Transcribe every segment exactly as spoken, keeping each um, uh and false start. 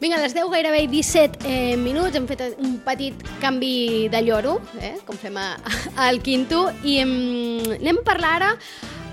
Vinga, a les deu gairebé disset eh, minuts, hem fet un petit canvi de lloro, eh, com fem a, a, al Quinto, i em, anem a parlar ara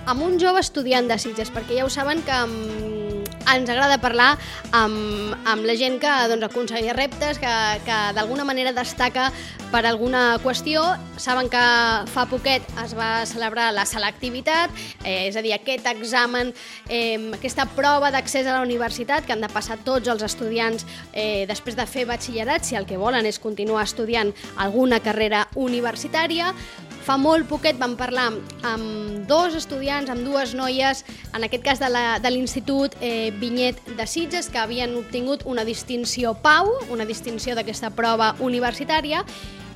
amb un jove estudiant de Sitges, perquè ja ho saben que um, ens agrada parlar amb, amb la gent que doncs, aconsegueix reptes, que, que d'alguna manera destaca per alguna qüestió. Saben que fa poquet es va celebrar la selectivitat, eh, és a dir, aquest examen, eh, aquesta prova d'accés a la universitat que han de passar tots els estudiants eh, després de fer batxillerat, si el que volen és continuar estudiant alguna carrera universitària. Fa molt poquet vam parlar amb dos estudiants, amb dues noies, en aquest cas de l'Institut eh, Vinyet de Sitges, que havien obtingut una distinció Pau, una distinció d'aquesta prova universitària,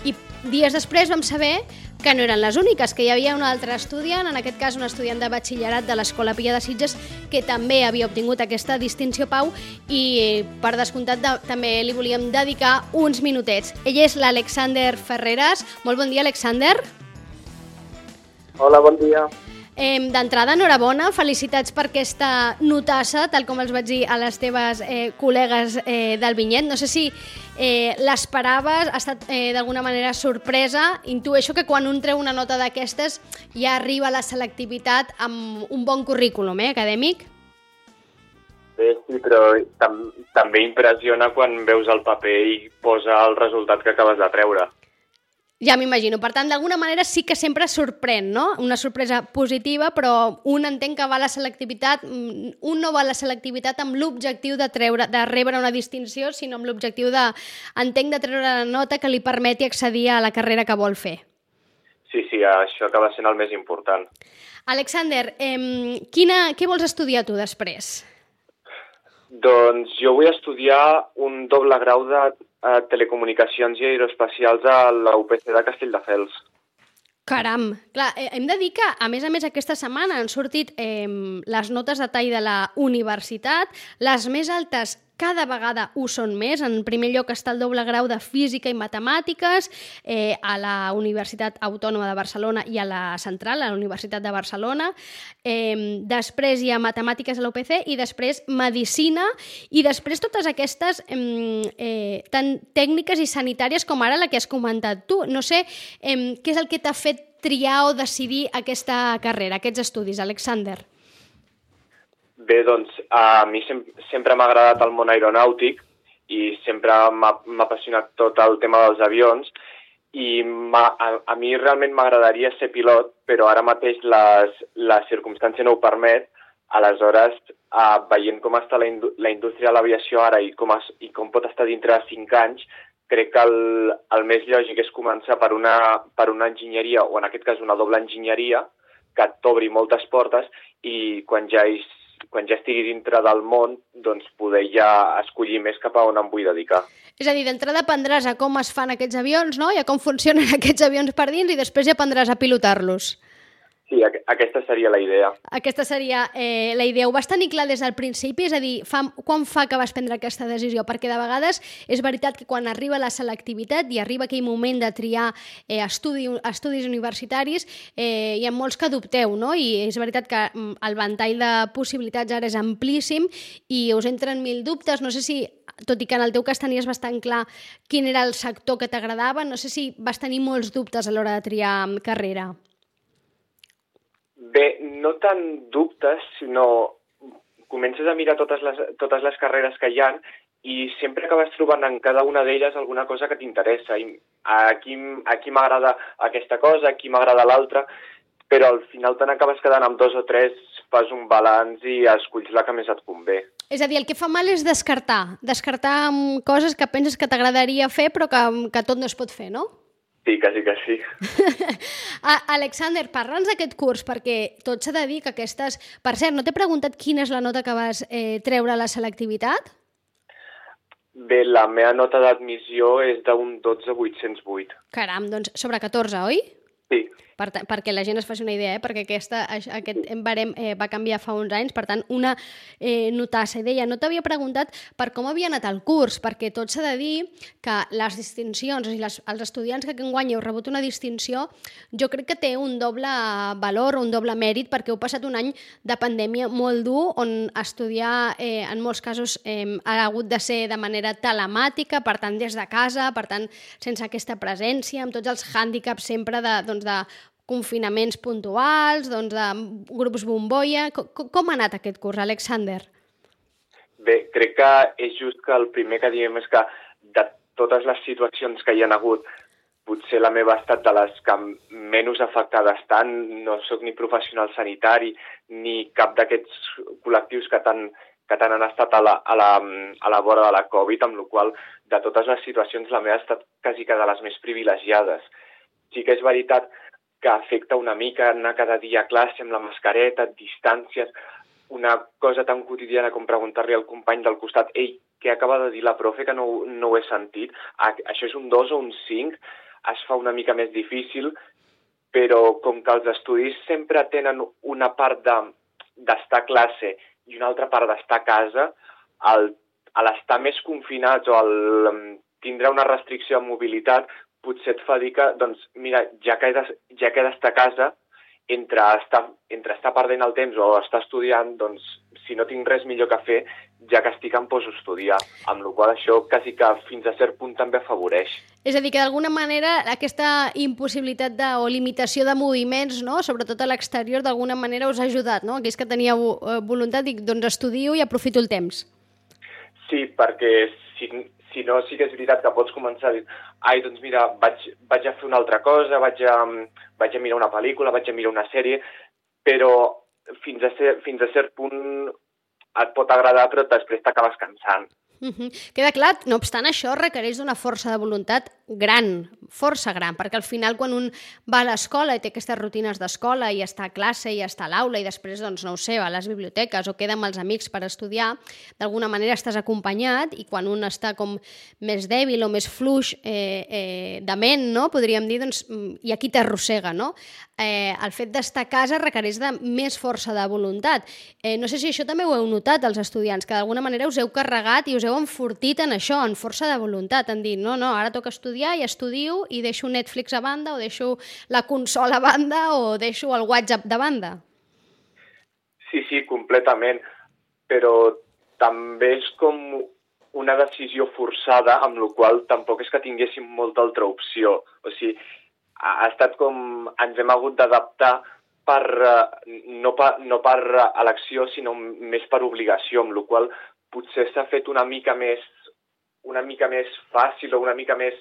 i dies després vam saber que no eren les úniques, que hi havia un altre estudiant, en aquest cas un estudiant de batxillerat de l'Escola Pia de Sitges, que també havia obtingut aquesta distinció Pau, i per descomptat de, també li volíem dedicar uns minutets. Ell és l'Alexander Ferreras. Molt bon dia, Alexander. Hola, bon dia. Eh, D'entrada, enhorabona, felicitats per aquesta notassa, tal com els vaig dir a les teves eh, col·legues eh, del Vinyet. No sé si eh, l'esperaves, ha estat eh, d'alguna manera sorpresa. Intueixo que quan un treu una nota d'aquestes ja arriba a la selectivitat amb un bon currículum eh, acadèmic. Bé, sí, però tam també impressiona quan veus el paper i posa el resultat que acabes de treure. Ja m'imagino. Per tant, d'alguna manera sí que sempre sorprèn, no? Una sorpresa positiva, però un entén que va a la selectivitat, un no va a la selectivitat amb l'objectiu de treure, de rebre una distinció, sinó amb l'objectiu de, entenc, de treure la nota que li permeti accedir a la carrera que vol fer. Sí, sí, això acaba sent el més important. Alexander, eh, quina, què vols estudiar tu després? Doncs jo vull estudiar un doble grau de eh, telecomunicacions i aeroespacials a la U P C de Castelldefels. Caram! Clar, eh, hem de dir que, a més a més, aquesta setmana han sortit eh, les notes de tall de la universitat, les més altes cada vegada ho són més. En primer lloc està el doble grau de Física i Matemàtiques eh, a la Universitat Autònoma de Barcelona i a la Central, a la Universitat de Barcelona. Eh, després hi ha Matemàtiques a l'U P C i després Medicina i després totes aquestes eh, eh, tant tècniques i sanitàries com ara la que has comentat tu. No sé eh, què és el que t'ha fet triar o decidir aquesta carrera, aquests estudis, Alexander? Bé, doncs, a mi sem sempre m'ha agradat el món aeronàutic i sempre m'ha apassionat tot el tema dels avions i a, a mi realment m'agradaria ser pilot, però ara mateix les, la circumstància no ho permet. Aleshores, eh, veient com està la, indú la indústria de l'aviació ara i com, es, i com pot estar dintre de cinc anys, crec que el, el més lògic és començar per una, per una enginyeria, o en aquest cas una doble enginyeria, que t'obri moltes portes i quan ja hi quan ja estigui dintre del món, doncs poder ja escollir més cap a on em vull dedicar. És a dir, d'entrada aprendràs a com es fan aquests avions, no? I a com funcionen aquests avions per dins i després ja aprendràs a pilotar-los. Sí, aquesta seria la idea. Aquesta seria eh, la idea. Ho vas tenir clar des del principi? És a dir, fa, quan fa que vas prendre aquesta decisió? Perquè de vegades és veritat que quan arriba la selectivitat i arriba aquell moment de triar eh, estudi, estudis universitaris, eh, hi ha molts que dubteu, no? I és veritat que el ventall de possibilitats ara és amplíssim i us entren mil dubtes. No sé si, tot i que en el teu cas tenies bastant clar quin era el sector que t'agradava, no sé si vas tenir molts dubtes a l'hora de triar carrera. Bé, no tant dubtes, sinó comences a mirar totes les, totes les carreres que hi ha i sempre acabes trobant en cada una d'elles alguna cosa que t'interessa. Aquí, aquí m'agrada aquesta cosa, aquí m'agrada l'altra, però al final te n'acabes quedant amb dos o tres, fas un balanç i esculls la que més et convé. És a dir, el que fa mal és descartar, descartar coses que penses que t'agradaria fer però que, que tot no es pot fer, no? Sí, quasi que sí. Alexander, parla'ns d'aquest curs, perquè tot s'ha de dir que aquestes... Per cert, no t'he preguntat quina és la nota que vas eh, treure a la selectivitat? Bé, la meva nota d'admissió és d'un dotze vuit-cents vuit. Caram, doncs sobre catorze, oi? Sí. per perquè la gent es faci una idea, eh? Perquè aquesta, aquest barem eh, va canviar fa uns anys, per tant, una eh, notassa. I deia, no t'havia preguntat per com havia anat el curs, perquè tot s'ha de dir que les distincions, o sigui, les, els estudiants que enguany heu rebut una distinció, jo crec que té un doble valor, un doble mèrit, perquè heu passat un any de pandèmia molt dur, on estudiar, eh, en molts casos, eh, ha hagut de ser de manera telemàtica, per tant, des de casa, per tant, sense aquesta presència, amb tots els hàndicaps sempre de, doncs, de confinaments puntuals, doncs de grups bombolla. Com, com ha anat aquest curs, Alexander? Bé, crec que és just que el primer que diem és que de totes les situacions que hi ha hagut, potser la meva ha estat de les que menys afectades estan. No sóc ni professional sanitari ni cap d'aquests col·lectius que tant, que tant han estat a la, a, la, a la vora de la Covid, amb la qual de totes les situacions la meva ha estat quasi que de les més privilegiades. Sí que és veritat que afecta una mica anar cada dia a classe amb la mascareta, distàncies, una cosa tan quotidiana com preguntar-li al company del costat «Ei, què acaba de dir la profe que no, no ho he sentit? Això és un dos o un cinc?» Es fa una mica més difícil, però com que els estudis sempre tenen una part de, d'estar a classe i una altra part d'estar a casa, el, a l'estar més confinats o el tindre una restricció de mobilitat, potser et fa dir que, doncs, mira, ja que he de, ja que he d'estar a casa, entre estar, entre estar perdent el temps o estar estudiant, doncs, si no tinc res millor que fer, ja que estic em poso a estudiar, amb la qual això quasi que fins a cert punt també afavoreix. És a dir, que d'alguna manera aquesta impossibilitat de, o limitació de moviments, no? Sobretot a l'exterior, d'alguna manera us ha ajudat, no? Aquells que teníeu voluntat, dic, doncs estudio i aprofito el temps. Sí, perquè si, si no, sí que és veritat que pots començar a dir ai, doncs mira, vaig, vaig a fer una altra cosa, vaig a, vaig a mirar una pel·lícula, vaig a mirar una sèrie, però fins a, ser, fins a cert punt et pot agradar, però després t'acabes cansant. Uh-huh. Queda clar, no obstant això, requereix d'una força de voluntat gran, força gran, perquè al final quan un va a l'escola i té aquestes rutines d'escola i està a classe i està a l'aula i després, doncs, no ho sé, va a les biblioteques o queda amb els amics per estudiar, d'alguna manera estàs acompanyat i quan un està com més dèbil o més fluix eh, eh, de ment, no? Podríem dir, doncs, i aquí t'arrossega, no? Eh, el fet d'estar a casa requereix de més força de voluntat. Eh, no sé si això també ho heu notat els estudiants, que d'alguna manera us heu carregat i us heu enfortit en això, en força de voluntat, en dir, no, no, ara toca estudiar i estudio i deixo Netflix a banda o deixo la consola a banda o deixo el WhatsApp de banda. Sí, sí, completament, però també és com una decisió forçada, amb la qual tampoc és que tinguéssim molta altra opció. O sigui, ha estat com ens hem hagut d'adaptar per, no, per, no per elecció, sinó més per obligació, amb la qual potser s'ha fet una mica més, una mica més fàcil o una mica més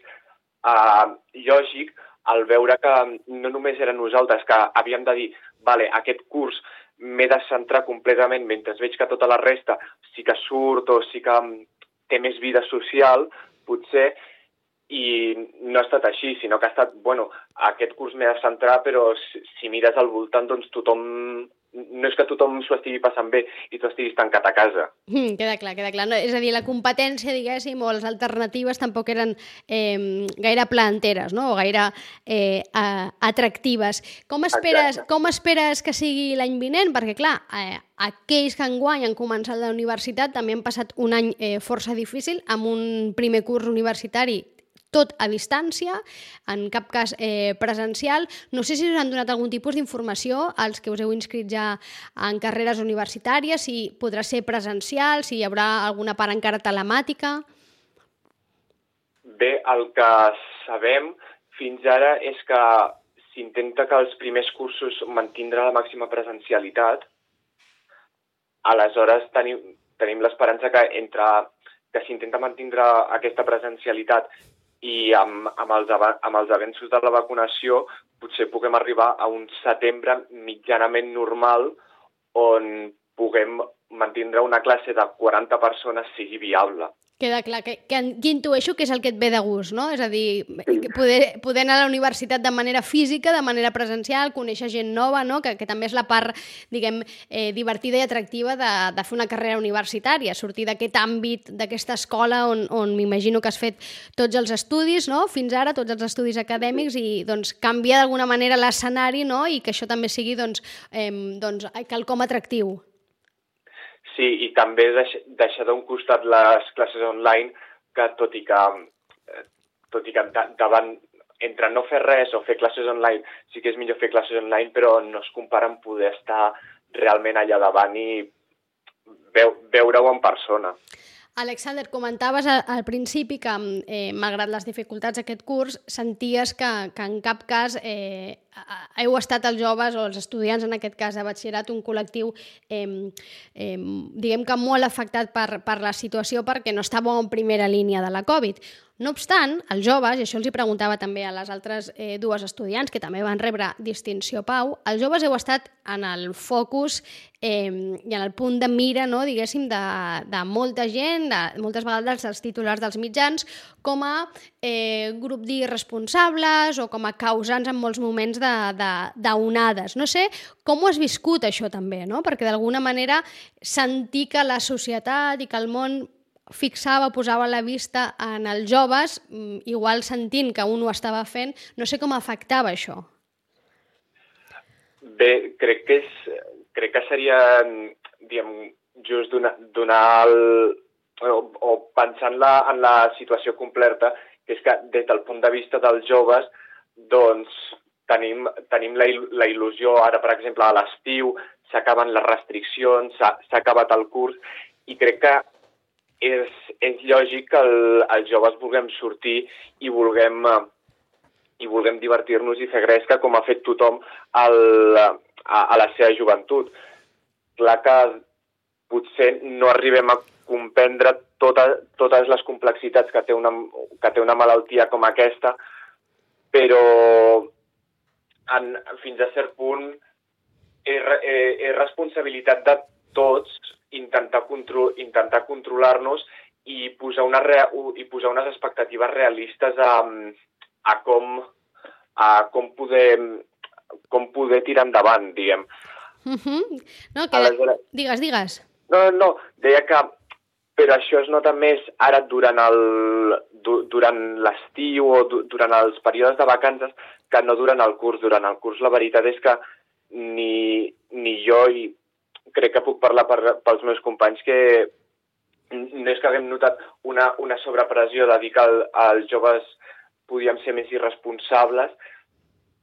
uh, lògic al veure que no només eren nosaltres que havíem de dir, vale, aquest curs m'he de centrar completament mentre veig que tota la resta sí que surt o sí que té més vida social, potser, i no ha estat així, sinó que ha estat, bueno, aquest curs m'he de centrar, però si, si mires al voltant, doncs tothom, no és que tothom s'ho estigui passant bé i tu estiguis tancat a casa. Mm, queda clar, queda clar. No, és a dir, la competència, diguéssim, o les alternatives tampoc eren eh, gaire planteres, no? O gaire eh, atractives. Com esperes, com esperes que sigui l'any vinent? Perquè, clar, eh, aquells que enguany han començat la universitat també han passat un any eh, força difícil, amb un primer curs universitari tot a distància, en cap cas eh, presencial. No sé si us han donat algun tipus d'informació als que us heu inscrit ja en carreres universitàries, si podrà ser presencial, si hi haurà alguna part encara telemàtica. Bé, el que sabem fins ara és que s'intenta que els primers cursos mantindre la màxima presencialitat. Aleshores tenim, tenim l'esperança que entre que s'intenta mantindre aquesta presencialitat i amb, amb, els, amb els avenços de la vacunació potser puguem arribar a un setembre mitjanament normal on puguem mantindre una classe de quaranta persones sigui viable. Queda clar, que, que, que intueixo que és el que et ve de gust, no? És a dir, poder, poder anar a la universitat de manera física, de manera presencial, conèixer gent nova, no? Que, que també és la part, diguem, eh, divertida i atractiva de, de fer una carrera universitària, sortir d'aquest àmbit, d'aquesta escola on, on m'imagino que has fet tots els estudis, no? Fins ara, tots els estudis acadèmics, i doncs canviar d'alguna manera l'escenari, no? I que això també sigui doncs, eh, doncs, quelcom atractiu. Sí, i també deix, deixar d'un costat les classes online, que tot i que, tot i que davant, entre no fer res o fer classes online, sí que és millor fer classes online, però no es compara amb poder estar realment allà davant i veu, veure-ho en persona. Alexander, comentaves al principi que, eh, malgrat les dificultats d'aquest curs, senties que, que en cap cas eh, heu estat els joves o els estudiants, en aquest cas de batxillerat, un col·lectiu eh, eh, diguem que molt afectat per, per la situació perquè no estàveu en primera línia de la Covid. No obstant, els joves, i això els hi preguntava també a les altres eh, dues estudiants que també van rebre distinció Pau, els joves heu estat en el focus eh, i en el punt de mira, no, diguéssim, de, de molta gent, de, moltes vegades dels titulars dels mitjans, com a eh, grup d'irresponsables o com a causants en molts moments d'onades. No sé com ho has viscut això també, no? Perquè d'alguna manera sentir que la societat i que el món fixava, posava la vista en els joves, igual sentint que un ho estava fent, no sé com afectava això. Bé, crec que, és, crec que seria, diguem, just donar, donar el, o, o pensar en la, en la situació completa, que és que des del punt de vista dels joves, doncs tenim, tenim la, la il·lusió, ara per exemple a l'estiu, s'acaben les restriccions, s'ha acabat el curs, i crec que És, és lògic que el, els joves vulguem sortir i vulguem, i vulguem divertir-nos i fer gresca com ha fet tothom al, a, a la seva joventut. Clar que potser no arribem a comprendre tota, totes les complexitats que té, una, que té una malaltia com aquesta, però en, fins a cert punt és, és, és responsabilitat de tots intentar, contro intentar controlar-nos i posar, una rea i posar unes expectatives realistes a, a, com, a com, poder, com poder tirar endavant, diguem. Uh -huh. No, que... Aleshores... Digues, digues. No, no, deia que però això es nota més ara durant el durant l'estiu o du durant els períodes de vacances que no durant el curs. Durant el curs la veritat és que ni, ni jo i crec que puc parlar per, pels meus companys que no és que haguem notat una, una sobrepressió de dir que el, els joves podíem ser més irresponsables,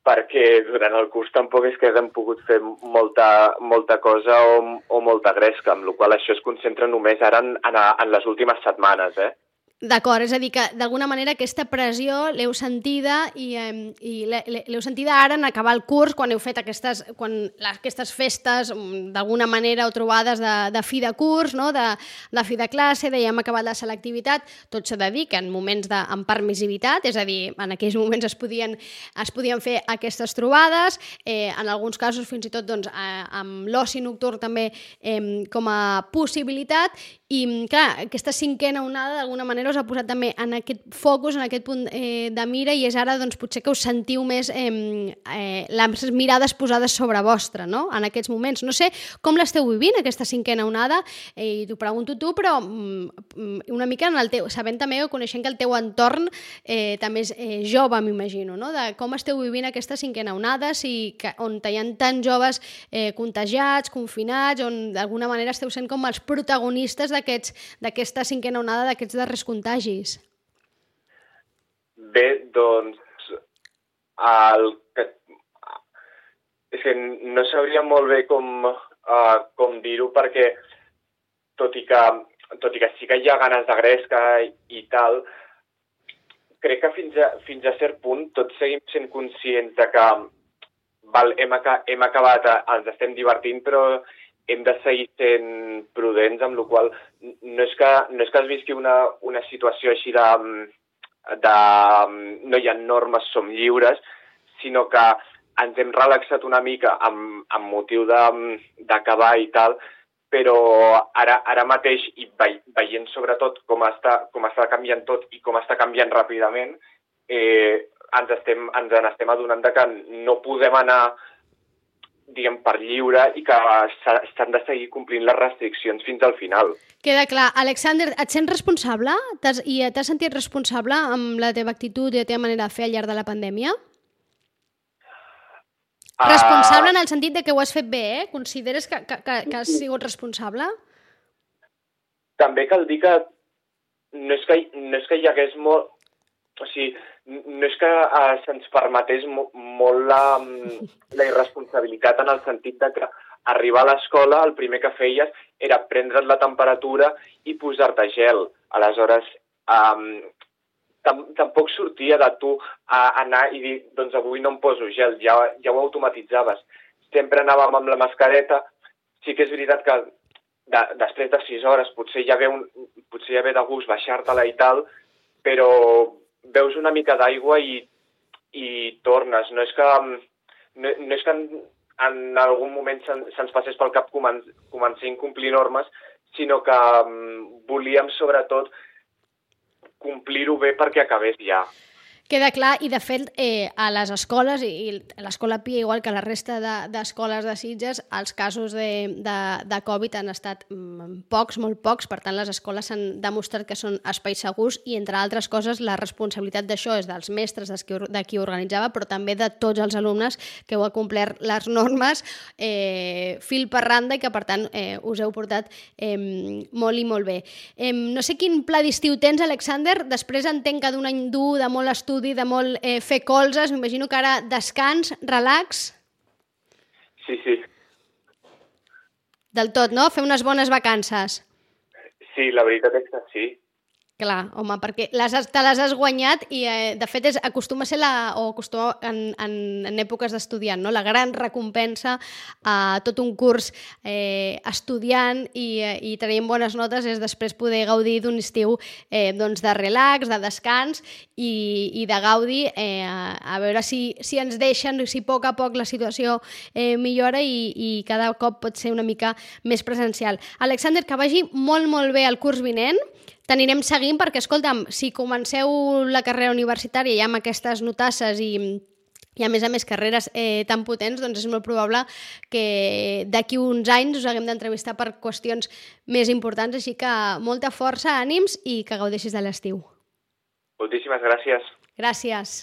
perquè durant el curs tampoc és que haguem pogut fer molta, molta cosa o, o molta gresca, amb la qual això es concentra només ara en, en, en les últimes setmanes, eh? D'acord, és a dir, que d'alguna manera aquesta pressió l'heu sentida i, eh, i l'heu sentida ara en acabar el curs, quan heu fet aquestes, quan, aquestes festes d'alguna manera o trobades de, de fi de curs, no? de, de fi de classe, de ja hem acabat la selectivitat, tot s'ha de dir que en moments de, amb permissivitat, és a dir, en aquells moments es podien, es podien fer aquestes trobades, eh, en alguns casos fins i tot doncs, eh, amb l'oci nocturn també eh, com a possibilitat, i clar, aquesta cinquena onada d'alguna manera us ha posat també en aquest focus, en aquest punt eh, de mira, i és ara doncs, potser que us sentiu més eh, eh, les mirades posades sobre vostra, no? En aquests moments. No sé com l'esteu vivint, aquesta cinquena onada, eh, i t'ho pregunto tu, però mm, una mica en el teu, sabent també o coneixent que el teu entorn eh, també és eh, jove, m'imagino, no? De com esteu vivint aquesta cinquena onada, si, que, on hi ha tants joves eh, contagiats, confinats, on d'alguna manera esteu sent com els protagonistes d'aquesta cinquena onada, d'aquests darrers contagis? Bé, doncs, el que... és que no sabria molt bé com, uh, com dir-ho, perquè tot i, que, tot i que sí que hi ha ganes de gresca i, i tal, crec que fins a, fins a cert punt tots seguim sent conscients de que val, hem, aca hem acabat, ens estem divertint, però hem de seguir sent prudents, amb la qual no és que, no és que es visqui una, una situació així de, de no hi ha normes, som lliures, sinó que ens hem relaxat una mica amb, amb motiu d'acabar i tal, però ara, ara mateix, i veient sobretot com està, com està canviant tot i com està canviant ràpidament, eh, ens, estem, ens en estem adonant de que no podem anar, diguem, per lliure i que s'han de seguir complint les restriccions fins al final. Queda clar. Alexander, et sents responsable? T'has, I t'has sentit responsable amb la teva actitud i la teva manera de fer al llarg de la pandèmia? Uh... Responsable en el sentit de que ho has fet bé, eh? Consideres que, que, que has sigut responsable? També cal dir que no és que, no és que hi hagués molt... O sigui, no és que eh, se'ns permetés mo molt la, la irresponsabilitat en el sentit de que arribar a l'escola el primer que feies era prendre't la temperatura i posar-te gel. Aleshores, eh, tam tampoc sortia de tu a anar i dir, doncs avui no em poso gel, ja, ja ho automatitzaves. Sempre anàvem amb la mascareta. Sí que és veritat que de, després de sis hores potser ja ve, un, potser ja ve de gust baixar-te-la i tal, però veus una mica d'aigua i, i tornes. No és que, no, no és que en, en algun moment se'ns se passés pel cap comen començar a incomplir normes, sinó que um, volíem sobretot complir-ho bé perquè acabés ja. Queda clar, i de fet eh, a les escoles, i l'escola Pia, igual que la resta d'escoles de, de Sitges, els casos de, de, de Covid han estat mm, pocs, molt pocs, per tant les escoles s'han demostrat que són espais segurs i, entre altres coses, la responsabilitat d'això és dels mestres, de qui, de qui organitzava, però també de tots els alumnes que heu complert les normes eh, fil per randa i que, per tant, eh, us heu portat eh, molt i molt bé. Eh, no sé quin pla d'estiu tens, Alexander, després entenc que d'un any dur, de molt estudi, de molt eh, fer colzes, m'imagino que ara descans, relax... Sí, sí. Del tot, no? Fer unes bones vacances. Sí, la veritat és que sí. Clar, home, perquè les, te les has guanyat i, eh, de fet, és, acostuma a ser la, o acostuma en, en, en èpoques d'estudiant, no? La gran recompensa a tot un curs eh, estudiant i, eh, i traient bones notes és després poder gaudir d'un estiu eh, doncs de relax, de descans i, i de gaudi, eh, a, a veure si, si ens deixen, si a poc a poc la situació eh, millora i, i cada cop pot ser una mica més presencial. Alexander, que vagi molt, molt bé el curs vinent. T'anirem seguint perquè, escolta'm, si comenceu la carrera universitària ja amb aquestes notasses i, i a més a més carreres eh, tan potents, doncs és molt probable que d'aquí uns anys us haguem d'entrevistar per qüestions més importants, així que molta força, ànims i que gaudeixis de l'estiu. Moltíssimes gràcies. Gràcies.